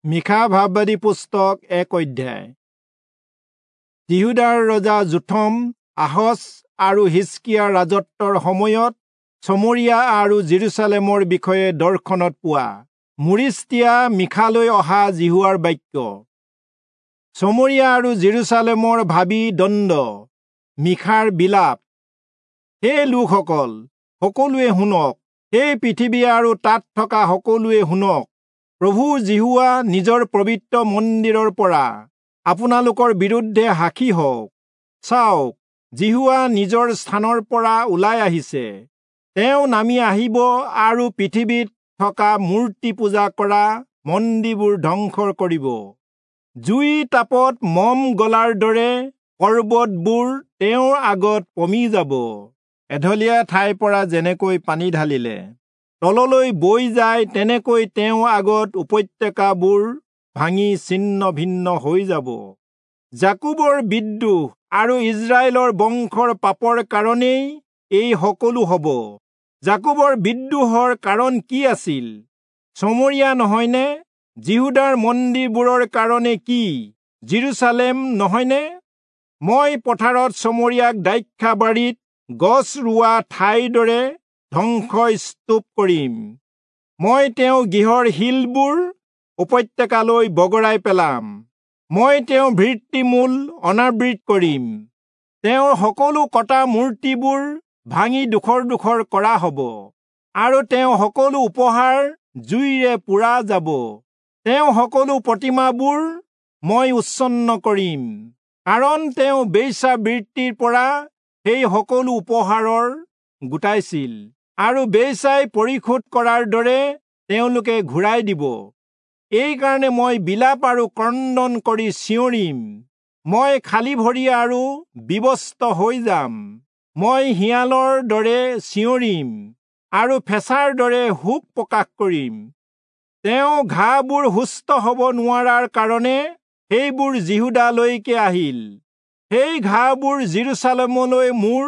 মীখা ভাববাদী পুস্তক 1 অধ্যায়। যিহূদাৰ ৰজা যোথম, আহজ আৰু হিজকিয়াৰ ৰাজত্বৰ সময়ত চমৰীয়া আৰু যিৰূচালেমৰ বিষয়ে দৰ্শনত পোৱা মোৰেচীয়া মীখালৈ অহা যিহোৱাৰ বাক্য। চমৰীয়া আৰু যিৰূচালেমৰ ভাবী দণ্ড। মীখাৰ বিলাপ। হে লোকসকল, সকলোৱে শুনক, হে পৃথিৱী আৰু তাত থকা সকলোৱে শুনক। প্ৰভু যিহোৱা নিজৰ পবিত্ৰ মন্দিৰৰ পৰা আপোনালোকৰ বিৰুদ্ধে সাক্ষী হওক। চাওক, যিহোৱা নিজৰ স্থানৰ পৰা ওলাই আহিছে। তেওঁ নামি আহিব আৰু পৃথিৱীত থকা মূৰ্তি পূজা কৰা মন্দিৰবোৰ ধ্বংস কৰিব। জুই তাপত মম গলাৰ দৰে পৰ্বতবোৰ তেওঁৰ আগত পমি যাব। এঢলীয়া ঠাইৰ পৰা যেনেকৈ পানী ঢালিলে তললৈ বৈ যায়, তেনেকৈ তেওঁৰ আগত উপত্যকাবোৰ ভাঙি ছিন্ন ভিন্ন হৈ যাব। যাকোবৰ বিদ্ৰোহ আৰু ইজৰাইলৰ বংশৰ পাপৰ কাৰণেই এই সকলো হ'ব। যাকোবৰ বিদ্ৰোহৰ কাৰণ কি আছিল? চমৰীয়া নহয়নে? যিহূদাৰ মন্দিৰবোৰৰ কাৰণে কি? যিৰূচালেম নহয়নে? মই পথাৰত চমৰীয়াক দ্ৰাক্ষাবাৰীত গছ ৰোৱা ঠাইৰ দৰে ধ্বংসস্তূপ কৰিম। মই তেওঁৰ গৃহৰ শিলবোৰ উপত্যকালৈ বগৰাই পেলাম। মই তেওঁৰ ভিত্তিমূল অনাবৃত কৰিম। তেওঁৰ সকলো কটা মূৰ্তিবোৰ ভাঙি ডোখৰ ডোখৰ কৰা হ'ব আৰু তেওঁৰ সকলো উপহাৰ জুইৰে পোৰা যাব। তেওঁৰ সকলো প্ৰতিমাবোৰ মই উচ্ছন্ন কৰিম, কাৰণ তেওঁ বেশ্যাবৃত্তিৰ পৰা সেই সকলো উপহাৰৰ গোটাইছিল আৰু বেশ্যাই পৰিশোধ কৰাৰ দৰে তেওঁলোকে ঘূৰাই দিব। এইকাৰণে মই বিলাপ আৰু ক্ৰন্দন কৰি চিঞৰিম। মই খালী ভৰি আৰু বিৱস্ত্ৰ হৈ যাম। মই শিয়ালৰ দৰে চিঞৰিম আৰু ফেঁচাৰ দৰে শোক প্ৰকাশ কৰিম। তেওঁ ঘাঁবোৰ সুস্থ হ'ব নোৱাৰাৰ কাৰণে সেইবোৰ যিহূদালৈকে আহিল। সেই ঘাঁবোৰ যিৰূচালেমলৈ মোৰ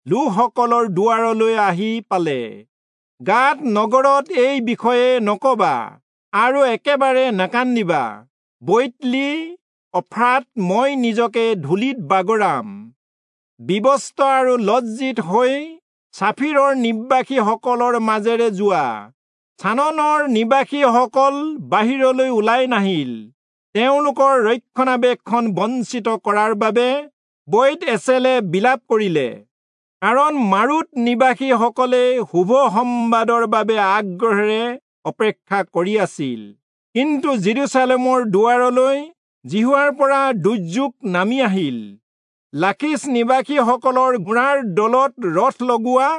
লোকসকলৰ দুৱাৰলৈ আহি পালে। গাত নগৰত এই বিষয়ে নকবা আৰু একেবাৰে নাকান্দিবা। বৈতলি অফ্ৰাত মই নিজকে ধূলিত বাগৰাম। বিৱস্ত্ৰ আৰু লজ্জিত হৈ চাফিৰৰ নিবাসীসকলৰ মাজেৰে যোৱা। চাননৰ নিবাসীসকল বাহিৰলৈ ওলাই নাহিল। তেওঁলোকৰ ৰক্ষণাবেক্ষণ বঞ্চিত কৰাৰ বাবে বৈত এচেলে বিলাপ কৰিলে, কাৰণ মাৰুত নিবাসীসকলে শুভ সম্বাদৰ বাবে আগ্ৰহেৰে অপেক্ষা কৰি আছিল। কিন্তু যিৰূচালেমৰ দুৱাৰলৈ যিহোৱাৰ পৰা দুৰ্যোগ নামি আহিল। লাখীচ নিবাসীসকলৰ ঘোঁৰাৰ দলত ৰথ লগোৱা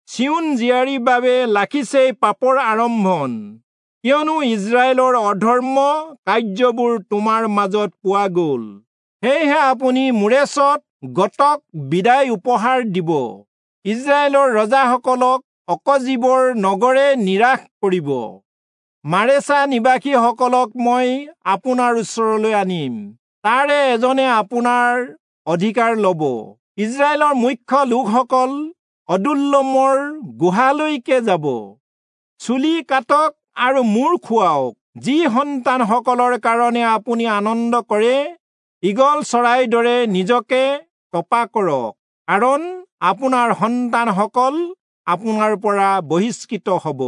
চিয়োন জীয়াৰীৰ বাবে লাখীচেই পাপৰ আৰম্ভণ, কিয়নো ইজৰাইলৰ অধৰ্ম কাৰ্যবোৰ তোমাৰ মাজত পোৱা গ'ল। সেয়েহে আপুনি মোৰেচত গতক বিদায় উপহাৰ দিব। ইজৰাইলৰ ৰজাসকলক অকজীবৰ নগৰে নিৰাশ কৰিব। মাৰেচা নিবাসীসকলক মই আপোনাৰ ওচৰলৈ আনিম, তাৰে এজনে আপোনাৰ অধিকাৰ ল'ব। ইজৰাইলৰ মুখ্য লোকসকল অদুল্লমৰ গুহালৈকে যাব। চুলি কাটক আৰু মূৰ খুৱাওক। যি সন্তানসকলৰ কাৰণে আপুনি আনন্দ কৰে, ঈগল চৰাইৰ দৰে নিজকে তপা কৰক, কাৰণ আপোনাৰ সন্তানসকল আপোনাৰ পৰা বহিষ্কৃত হ'ব।